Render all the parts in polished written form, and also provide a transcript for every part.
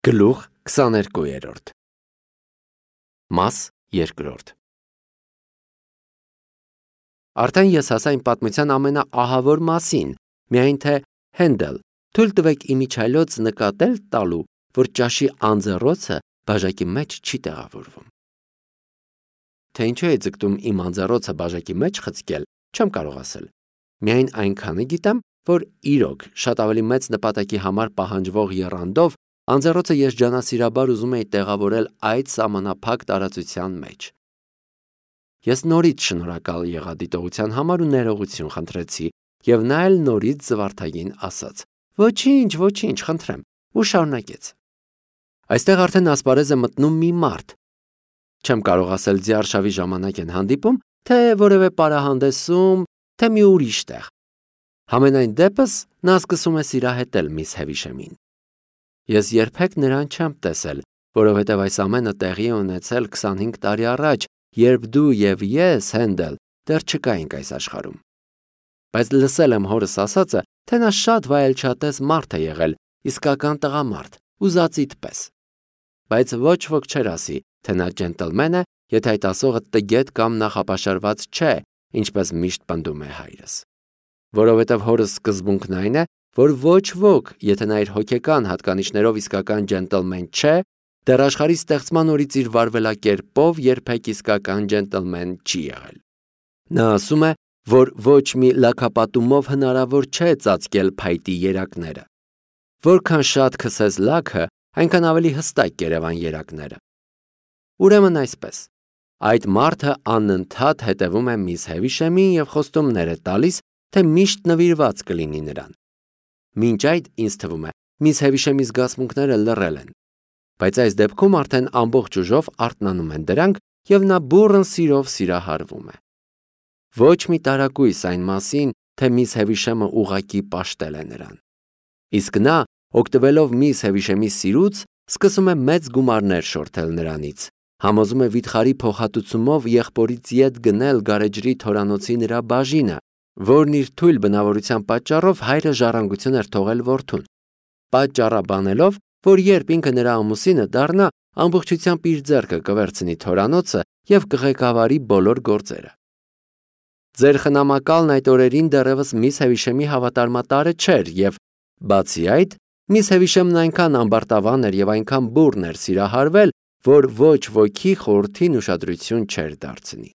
Գլուխ 22 Մաս 2 Արդեն ես հասա իմ պատմության ամենաահավոր մասին, միայն թե Հենդել, թույլ տվեք իմիջայլոց նկատել տալու, որ ճաշի անձեռոցը բաժակի մեջ չի տեղավորվում։ Թե ինչու է ձգտում իմ անձեռոցը բաժակի մեջ խցկել, չեմ կարող ասել։ Միայն այնքանը գիտեմ, որ իրոք շատ ավելի մեծ նպատակի համար պահանջվող եռանդով անձեռոցը երջանասիրաբար ուզում էի տեղավորել այդ սահմանափակ տարածության մեջ։ Ես նորից շնորհակալ եղա դիտողության համար ու ներողություն խնդրեցի, և նա էլ նորից զվարթագին ասաց. Ոչինչ, խնդրեմ, ու շարունակեց։ Այստեղ արդեն ասպարեզ է մտնում մի մարդ։ Չեմ կարող ասել ձիարշավի ժամանակ են հանդիպում, թե որևէ պարահանդեսում, թե մի ուրիշ տեղ։ Համենայն դեպս նա սկսում է սիրահետել միս Հևիշեմին։ Ես երբեք նրան չեմ տեսել, որովհետև այս ամենը տեղի է ունեցել 25 տարի առաջ, երբ դու և ես, Հենդել, դեռ չկայինք այս աշխարհում։ Բայց լսել եմ հորս ասածը, թե նա շատ վայելչատես մարդ է եղել, իսկական տղամարդ, ուզածիդ պես։ Բայց ոչ ոք չէր ասի, թե նա ջենտլմեն է, եթե այդ ասողը տգետ կամ նախապաշարված չէ, ինչպես միշտ պնդում է հայրս։ Որովհետև հորս սկզբունքն այն է, որ ոչ ոք, եթե նա իր հոգեկան հատկանիշներով իսկական ջենտլմեն չէ, դեռ աշխարհի ստեղծման օրից իր վարվելակերպով երբեք իսկական ջենտլմեն չի եղել։ Նա ասում է, որ ոչ մի լաքապատումով հնարավոր չէ ծածկել փայտի երակները։ Որքան շատ քսես լաքը, այնքան ավելի հստակ կերևան երակները։ Ուրեմն այսպես, այդ մարդը անընդհատ հետևում է միս Հևիշեմին և խոստումներ է տալիս, թե միշտ նվիրված կլինի նրան։ Մինչ այդ ինձ թվում է, միս Հևիշեմի զգացմունքները լռել են, բայց այս դեպքում արդեն ամբողջ ուժով արթնանում են դրանք և նա բուռն սիրով սիրահարվում է։ Ոչ մի տարակույս այն մասին, թե միս Հևիշեմը ուղղակի պաշտել է նրան։ Իսկ նա, օգտվելով միս Հևիշեմի սիրուց, սկսում է մեծ գումարներ շորթել նրանից, համոզում է վիթխարի փոխհատուցումով եղբորից ետ գնել գարեջրի թորանոցի նրա բաժինը, որն իր թույլ բնավորության պատճառով հայրը ժառանգություն էր թողել որդուն, պատճառաբանելով, որ երբ ինքը նրա ամուսինը դառնա, ամբողջությամբ իր ձեռքը կվերցնի թորանոցը և կղեկավարի բոլոր գործերը։ Ձեր խնամակալն այդ օրերին դեռևս միս Հևիշեմի հավատարմատարը չէր և, բացի այդ, միս Հևիշեմն այնքան ամբարտավան էր և այնքան բուռն էր սիրահարվել, որ ոչ ոքի խորհրդին ուշադրություն չէր դարձնի։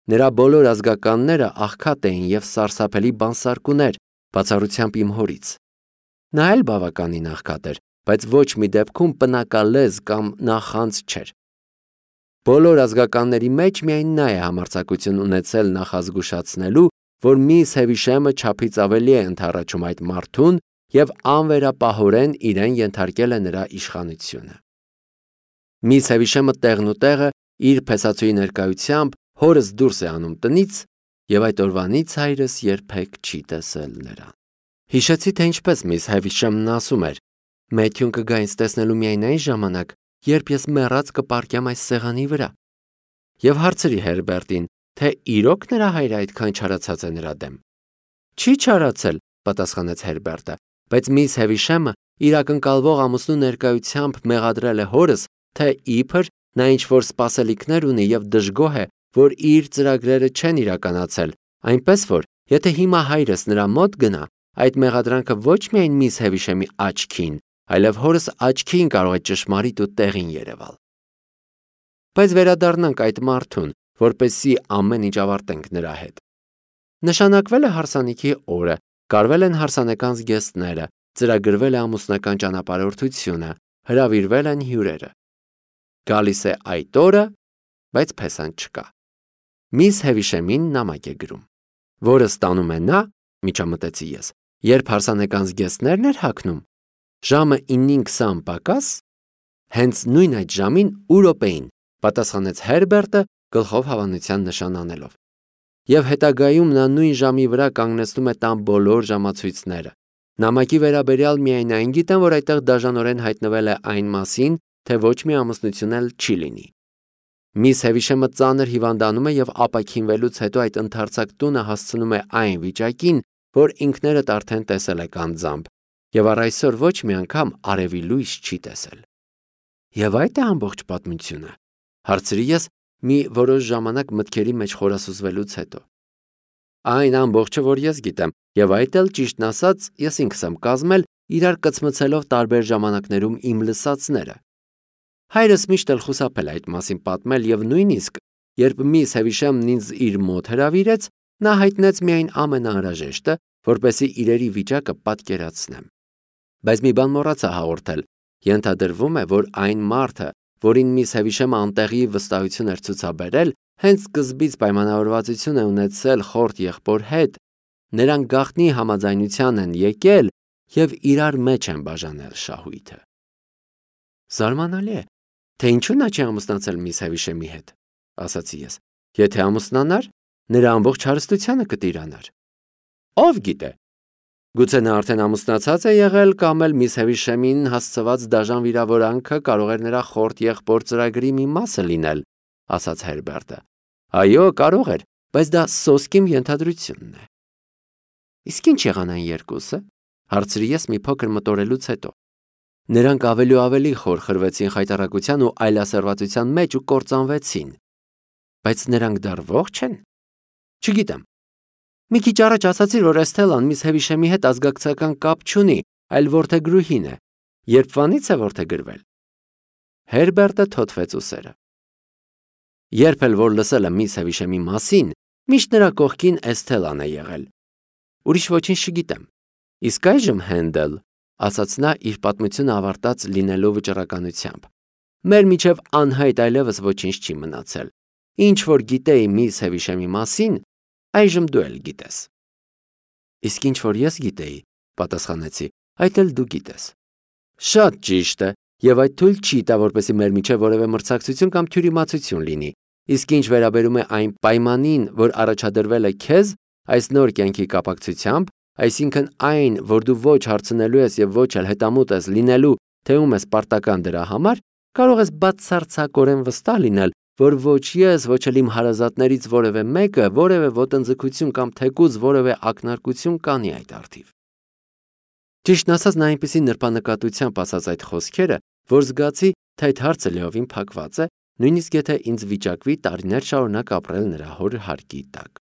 Նրա բոլոր ազգականները աղքատ էին և սարսափելի բանսարկուներ, բացառությամբ իմ հորից։ Նա էլ բավականին աղքատ էր, բայց ոչ մի դեպքում պնակալեզ կամ նախանձ չէր։ Բոլոր ազգականների մեջ միայն նա է համարձակություն ունեցել նախազգուշացնելու, որ միս Հևիշեմը չափից ավելի է ընդառաջում այդ մարդուն և անվերապահորեն իրեն ենթարկել է նրա իշխանությունը։ Միս Հևիշեմը տեղնուտեղը իր փեսացուի ներկայությամբ հորս դուրս է անում տնից և այդ օրվանից հայրս երբեք չի տեսել նրան։ Հիշեցի, թե ինչպես միս Հևիշեմն ասում էր. «Մեթյուն կգա ինձ տեսնելու միայն այն ժամանակ, երբ ես մեռած կպառկեմ այս սեղանի վրա»։ Եվ հարցրի Հերբերտին, թե իրոք նրա հայրը այդքան չարացած է նրա դեմ։ Չի չարացել, պատասխանեց Հերբերտը, բայց միս Հևիշեմը իր ակնկալվող ամուսնու ներկայությամբ մեղադրել է հորս, թե իբր նա ինչ-որ սպասելիքներ ունի և դժգոհ է, որ իր ծրագրերը չեն իրականացել, այնպես որ, եթե հիմա հայրս նրա մոտ գնա, այդ մեղադրանքը ոչ միայն միս Հևիշեմի աչքին, այլև հորս աչքին կարող է ճշմարիտ ու տեղին երևալ։ Բայց վերադառնանք այդ մարդուն, որպեսզի ամեն ինչ ավարտենք նրա հետ։ Նշանակվել է հարսանիքի օրը, կարվել են հարսանեկան զգեստները, ծրագրվել է ամուսնական ճանապարհորդությունը, հրավիրվել են հյուրերը։ Գալիս է այդ օրը, բայց փեսան չկա։ Միս Հևիշեմին նամակ է գրում, որը ստանում է նա, միջամտեցի ես, երբ հարսանեկան զգեստներն էր հագնում, ժամը 9:20 պակաս, հենց նույն այդ ժամին ու րոպեին, պատասխանեց Հերբերտը գլխով հավանության նշան անելով։ Եվ հետագայում նա նույն ժամի վրա կանգնեցնում է տան բոլոր ժամացույցները։ Նամակի վերաբերյալ միայն այն գիտեմ, որ այդտեղ դաժանորեն հայտնվել է այն մասին, թե ոչ մի ամուսնություն էլ չի լինի։ Միս Հևիշեմը ծանր հիվանդանում է և ապաքինվելուց հետո այդ ընդարձակ տունը հասցնում է այն վիճակին, որ ինքներդ արդեն տեսել եք անձամբ, եւ առ այսօր ոչ մի անգամ արևի լույս չի տեսել։ Եվ այդ է ամբողջ պատմությունը, հարցրի ես մի որոշ ժամանակ մտքերի մեջ խորասուզվելուց հետո։ Այն ամբողջը, որ ես գիտեմ, եւ այդ էլ ճիշտն ասած, ես ինքս եմ կազմել իրար կծմցելով տարբեր ժամանակներում իմ լսածները։ Հայրս միշտ էլ խուսափել այդ մասին պատմել եւ նույնիսկ երբ միս Հևիշամն ինձ իր մոտ հրավիրեց, նա հայտնեց միայն ամենաանհրաժեշտը, որպեսզի իրերի վիճակը պատկերացնեմ։ Բայց մի բան մոռացա հաղորդել, ենթադրվում է, որ այն մարդը, որին միս Հևիշամը անտեղի վստահություն էր ցուցաբերել, հենց սկզբից պայմանավորվածություն է ունեցել խորտ եղբոր հետ, նրանք գաղտնի համաձայնության են եկել եւ իրար մեջ են բաժանել շահույթը։ Զարմանալի է, թե ինչու նա չի ամուսնացել միս Հևիշամի հետ, ասացի ես։ Եթե ամուսնանար, նրա ամբողջ հարստությանը կտիրանար։ Ով գիտե։ Գուցե նա արդեն ամուսնացած է եղել կամ էլ միս Հևիշամին հասցված դաժան վիրավորանքը կարող էր նրա խորտ եղբոր ծրագրի մի մասը լինել, ասաց Հերբերտը։ Այո, կարող էր, բայց դա սոսկիմ ենթադրությունն է։ Իսկ ինչ եղան այն երկուսը, հարցրի ես մի փոքր մտորելուց հետո։ Նրանք ավելի ու ավելի խոր խրվեցին խայտառակության ու այլասերվածության մեջ ու կործանվեցին։ Բայց նրանք դեռ ողջ են։ Չգիտեմ։ Մի քիչ առաջ ասացիր, որ Էսթելան միս Հևիշամի հետ ազգակցական կապ չունի, այլ որդեգրուհին է։ Երբվանից է որդեգրվել։ Հերբերտը թոթվեց ուսերը։ Երբ էլ որ լսել եմ միս Հևիշամի մասին, միշտ նրա կողքին Էսթելան է եղել։ Ուրիշ ոչինչ չգիտեմ։ Իսկ այժմ Հենդել, ասաց նա իր պատմությունը ավարտած լինելու վճռականությամբ։ Մեր միջև անհայտ այլևս ոչինչ չի մնացել։ Ինչ որ գիտեի միս Հևիշամի մասին, այժմ դու էլ գիտես։ Իսկ ինչ որ ես գիտեի, պատասխանեցի, այդ էլ դու գիտես։ Շատ ճիշտ է, եւ այդ թույլ չի տա, որպեսզի մեր միջև որևէ մրցակցություն կամ թյուրիմացություն լինի։ Իսկ ինչ վերաբերում է այն պայմանին, որ առաջադրվել է քեզ այս նոր կյանքի կապակցությամբ, այսինքն այն, որ դու ոչ հարցնելու ես եւ ոչ էլ հետամուտ ես լինելու, թե ում ես պարտական դրա համար, կարող ես բացարձակորեն վստահ լինել, որ ոչ ես, ոչ էլ իմ հարազատներից որևէ մեկը որևէ ոտնձգություն կամ թեկուզ որևէ ակնարկություն կանի այդ առթիվ։ Ճիշտն ասած, նա այնպիսի նրբանկատությամբ ասաց այդ խոսքերը, որ զգացի, թե այդ հարցը լիովին փակված է, նույնիսկ եթե ինձ վիճակվի տարիներ շարունակ ապրել նրա հոր հարկի տակ։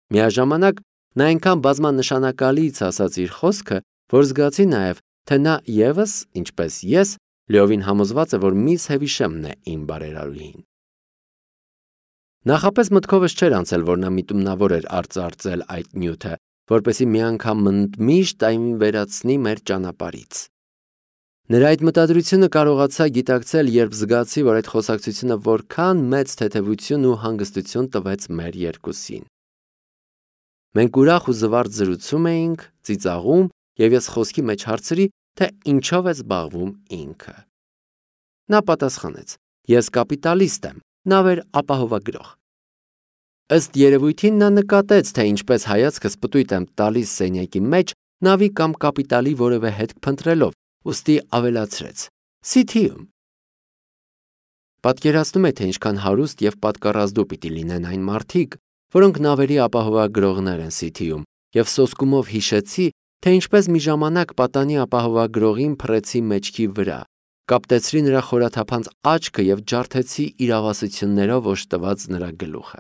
Միաժամանակ նա այնքան բազմանշանակալից ասաց իր խոսքը, որ զգացի նաև, թե նա եւս, ինչպես ես, լիովին համոզված է, որ միս Հևիշամն է իմ բարերարուհին։ Նախապես մտքովս չէր անցել, որ նա միտումնավոր էր արծարծել այդ նյութը, որպեսզի մի անգամ միշտ այն վերացնի մեր ճանապարհից։ Նրա այդ մտադրությունը կարողացա գիտակցել, երբ զգացի, որ այդ խոսակցությունը որքան մեծ թեթևություն ու հանգստություն տվեց մեր երկուսին։ Մենք ուրախ ու զվարթ զրուցում էինք, ծիծաղում, եւ ես խոսքի մեջ հարցրի, թե ինչով է զբաղվում ինքը։ Նա պատասխանեց. Ես կապիտալիստ եմ, նավեր ապահովագրող։ Ըստ երևույթին նա նկատեց, թե ինչպես հայացքս պտույտ եմ տալիս սենյակի մեջ նավի կամ կապիտալի որևէ հետք փնտրելով, ուստի ավելացրեց. Սիթիում։ Պատկերացնում եք, թե ինչքան հարուստ եւ պատկառազդու պիտի լինեն այն մարդիկ, որոնք նավերի ապահովագրողներ են Սիթիում, եւ սոսկումով հիշեցի, թե ինչպես մի ժամանակ պատանի ապահովագրողին փռեցի մեջքի վրա, կապտեցրի նրա խորաթափանց աչքը եւ ջարդեցի իրավասություններով օժտված նրա գլուխը։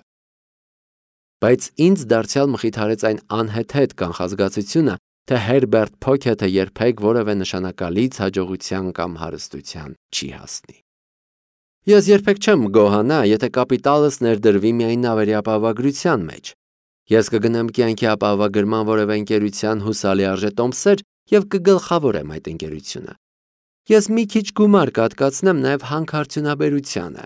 Բայց ինձ դարձյալ մխիթարեց այն անհեթեթ կանխազգացությունը, թե Հերբերտ Փոքեթը երբեք որևէ նշանակալից հաջողության կամ հարստության չի հասնի։ Ես երբեք չեմ գոհանա, եթե կապիտալս ներդրվի միայն նավերի ապահովագրության մեջ։ Ես կգնամ կյանքի ապահովագրման որևէ ընկերության հուսալի արժետոմսեր եւ կգլխավորեմ այդ ընկերությունը։ Ես մի քիչ գումար կհատկացնեմ նաեւ հանքարդյունաբերությանը։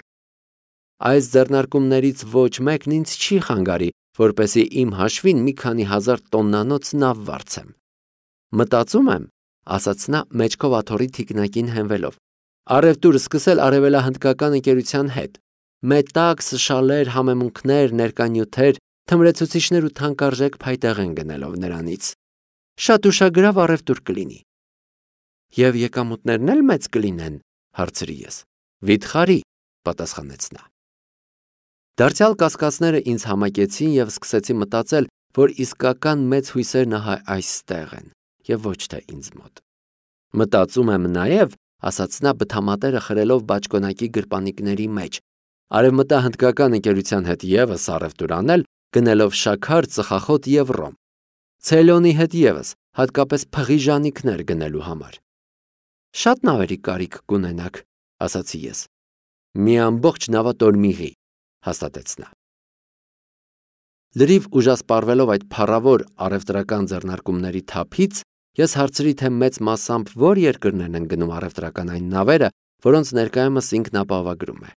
Այս ձեռնարկումներից ոչ մեկն ինձ չի խանգարի, որպեսզի իմ հաշվին մի քանի հազար տոննանոց նավ վարձեմ։ Մտածում եմ, ասաց նա մեջքով աթոռի թիկնակին հենվելով, առևտուր սկսել արևելահնդկական ընկերության հետ։ Մետաքս, շալեր, համեմունքներ, ներկանյութեր, թմրեցուցիչներ ու թանկարժեք փայտեղեն գնելով նրանից։ Շատ ուշագրավ առևտուր կլինի։ Եվ եկամուտներն էլ մեծ կլինեն, հարցրի ես։ Վիթխարի, պատասխանեց նա։ Դարձյալ կասկածները ինձ համակեցին եւ սկսեցի մտածել, որ իսկական մեծ հույսերն ահա այստեղ են։ եւ ոչ թե ինձ մոտ։ Մտածում եմ նաեւ, ասաց նա բթամատերը խրելով բաճկոնակի գրպանիկների մեջ, արևմտահնդկական ընկերության հետ եւս առևտուր անել, գնելով շաքար, ծխախոտ եւ ռոմ։ Ցելոնի հետ եւս, հատկապես փղի ժանիքներ գնելու համար։ Շատ նավերի կարիք կունենաք, ասացի ես։ Մի ամբողջ նավատորմիղի, հաստատեց նա։ Լրիվ ուժասպառվելով այդ փառավոր առևտրական ձեռնարկումների թափից, ես հարցրի, թե մեծ մասամբ որ երկրներն են գնում առևտրական այն նավերը, որոնց ներկայումս ինքն ապահովագրում է։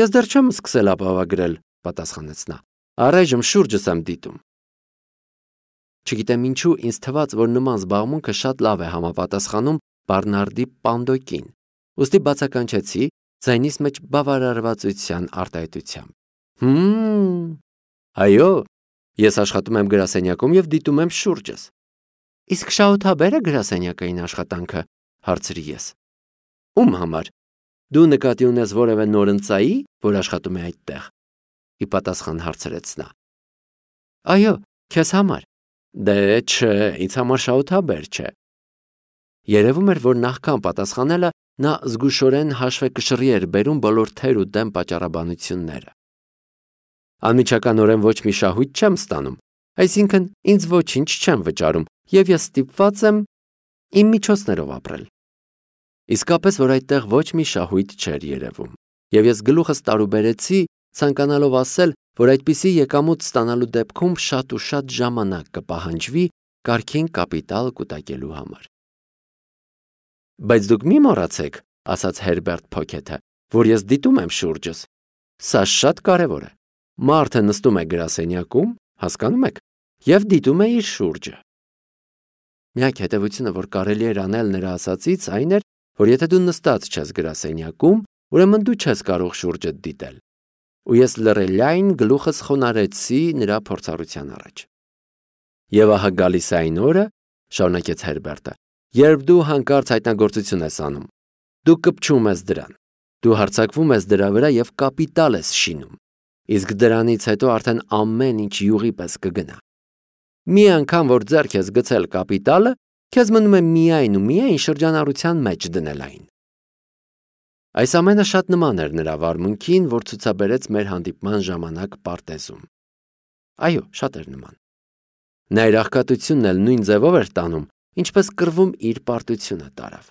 Ես դեռ չեմ սկսել ապահովագրել, պատասխանեց նա։ Առայժմ շուրջս եմ դիտում։ Չգիտեմ ինչու ինձ թվաց, որ նման զբաղմունքը շատ լավ է համապատասխանում Բարնարդի Պանդոկին, ուստի բացականչեցի ձայնիս մեջ բավարարվածության արտահայտությամբ։ Այո, ես աշխատում եմ գրասենյակում եւ դիտում եմ շուրջս։ Իսկ շահութաբերը գրասենյակային աշխատանքը, հարցրի ես։ Ում համար։ Դու նկատի ունես որևէ նորընծայի, որ աշխատում է այդտեղ։ Ի պատասխան հարցրեց նա։ Այո, քեզ համար։ Դե չէ, ինձ համար շահութաբեր չէ։ Երևում էր, որ նախքան պատասխանելը նա զգուշորեն հաշվեկշռի էր բերում բոլոր թեր ու դեմ պատճառաբանությունները։ Անմիջականորեն ոչ մի շահույթ չեմ ստանում, այսինքն ինձ ոչինչ չեմ վճարում եւ ես ստիպված եմ իմ միջոցներով ապրել։ Իսկապես, որ այդտեղ ոչ մի շահույթ չէր երևում, եւ ես գլուխս տարուբերեցի, ցանկանալով ասել, որ այդպիսի եկամուտ ստանալու դեպքում շատ ու շատ ժամանակ կպահանջվի կարգին կապիտալ կուտակելու համար։ Բայց դուք մի մոռացեք, ասաց Հերբերտ Փոքեթը, որ ես դիտում եմ շուրջս։ Սա շատ կարևոր է։ Մարդը նստում է գրասենյակում, հասկանում եք, եւ դիտում է իր շուրջը։ Միակ հետևությունը, որ կարելի էր անել նրա ասածից, այն էր, որ եթե դու նստած չես գրասենյակում, ուրեմն դու չես կարող շուրջդ դիտել։ Ու ես լռելային գլուխս խոնարհեցի նրա փորձառության առաջ։ Եվ ահա գալիս է այն օրը, շարունակեց Հերբերտը, երբ դու հանկարծ հայտնագործություն ես անում։ Դու կպչում ես դրան։ Դու հարձակվում ես դրա վրա եւ կապիտալ ես շինում։ Իսկ դրանից հետո արդեն ամեն ինչ յուղի պես կգնա։ Մի անգամ որ ձեռք ես գցել կապիտալը, քեզ մնում է միայն ու միայն շրջանառության մեջ դնել այն։ Այս ամենը շատ նման էր նրա վարմունքին, որ ցուցաբերեց մեր հանդիպման ժամանակ պարտեզում։ Այո, շատ էր նման։ Նա իր աղքատությունն էլ նույն ձևով էր տանում, ինչպես կռվում իր պարտությունը տարավ։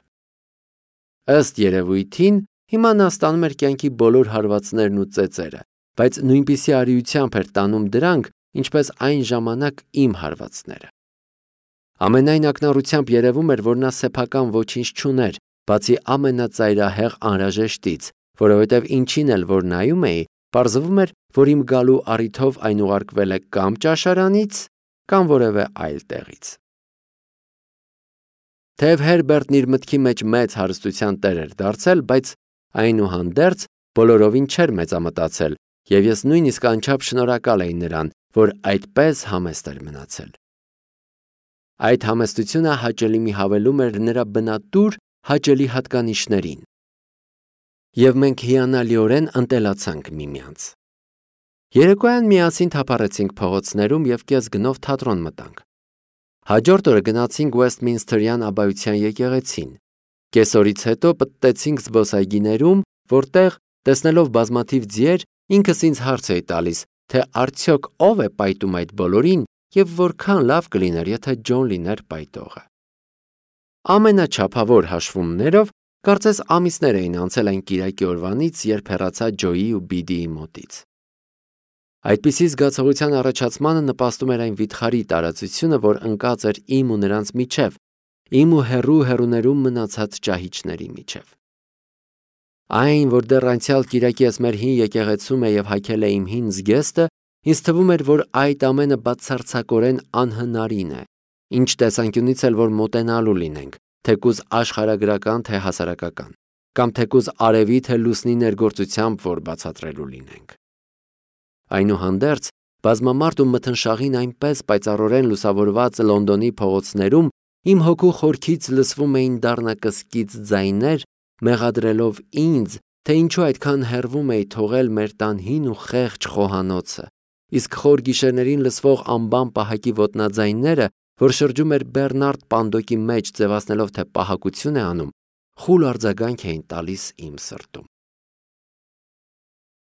Ըստ երևույթին, հիմա նա ստանում էր կյանքի բոլոր հարվածներն ու ծեծերը, բայց նույնպիսի արիությամբ էր տանում դրանք, ինչպես այն ժամանակ իմ հարվածները։ Ամենայն ակնառությամբ երևում էր, որ նա սեփական ոչինչ չուներ, բացի ամենածայրահեղ անհրաժեշտից, որովհետև ինչին էլ որ նայում էի, պարզվում էր, որ իմ գալու առիթով այն ուղարկվել է կամ ճաշարանից, կամ որևէ այլ տեղից։ Թեև Հերբերտն իր մտքի մեջ մեծ հարստության տեր էր դարձել, բայց այնուհանդերձ բոլորովին չէր մեծամտածել, եւ ես նույնիսկ անչափ շնորհակալ էի նրան, որ այդպես համեստ էր մնացել։ Այդ համեստությունը հաճելի մի հավելում էր նրա բնատուր հաճելի հատկանիշներին։ Եվ մենք հիանալիորեն ընտելացանք միմյանց։ Երեկոյան միասին թափառեցինք փողոցներում եւ կես գնով թատրոն մտանք։ Հաջորդ օրը գնացինք Ուեսթմինսթերյան աբբայության եկեղեցին։ Կեսօրից հետո պտտեցինք զբոսայգիներում, որտեղ, տեսնելով բազմաթիվ ձիեր, ինքս ինձ հարց էի տալիս, թե արդյոք ով է պայտում այդ բոլորին եւ որքան լավ կլիներ, եթե Ջոն լիներ պայտողը։ Ամենաչափավոր հաշվումներով կարծես ամիսներ էին անցել այն կիրակի օրվանից, երբ հեռացա Ջոյի ու Բիդիի մոտից։ Այդպիսի զգացողության առաջացմանը նպաստում էր այն վիթխարի տարածությունը, որ ընկած էր իմ ու նրանց միջև, իմ ու հեռուներում մնացած ճահիճների միջև։ Այն, որ դեռ անցյալ կիրակի ես մեր հին եկեղեցում է եւ հագել է իմ հին զգեստը, ինձ թվում էր, որ այդ ամենը բացարձակորեն անհնարին է, ինչ տեսանկյունից էլ որ մոտենալու լինենք, թեկուզ աշխարհագրական թե հասարակական, կամ թեկուզ արևի թե լուսնի ներգործությամբ որ բացատրելու լինենք։ Այնուհանդերձ, բազմամարդ ու մթնշաղին այնպես պայծառորեն լուսավորված Լոնդոնի փողոցներում իմ հոգու խորքից լսվում էին դառնակսկիծ ձայներ, մեղադրելով ինձ, թե ինչու այդքան հեռվում էի թողել մեր տան հին ու խեղճ խոհանոցը, իսկ խոր գիշերներին լսվող անբան պահակի ոտնաձայները, որ շրջում էր Բեռնարդ Պանդոկի մեջ, ձևացնելով, թե պահակություն է անում, խուլ արձագանք էին տալիս իմ սրտում։